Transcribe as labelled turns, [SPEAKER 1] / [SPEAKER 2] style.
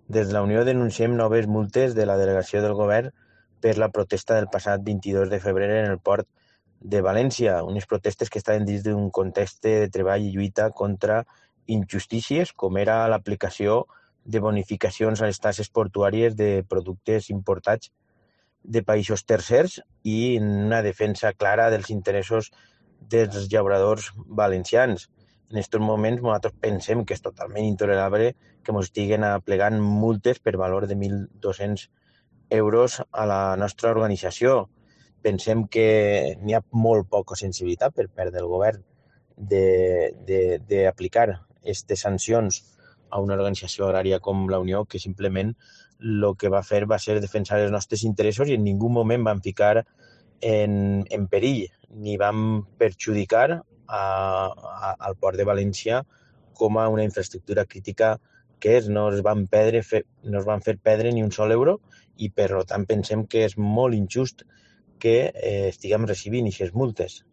[SPEAKER 1] Des de la Unió denunciem noves multes de la delegació del govern per la protesta del passat 22 de febrer en el port de València, unes protestes que estaven dins d'un context de treball i lluita contra injustícies, com era l'aplicació de bonificacions a les taxes portuàries de productes importats de països tercers i una defensa clara dels interessos dels llauradors valencians. En aquests moments nosaltres pensem que és totalment intolerable que ens estiguen aplegant multes per valor de 1.200 euros a la nostra organització. Pensem que n'hi ha molt poca sensibilitat per part del govern d'aplicar aquestes sancions a una organització agrària com la Unió, que simplement el que va fer va ser defensar els nostres interessos i en ningú moment van ficar en perill ni van perjudicar al port de València com a una infraestructura crítica que és. No es van fer perdre ni un sol euro i per tant pensem que és molt injust que estiguem recibint aquestes multes.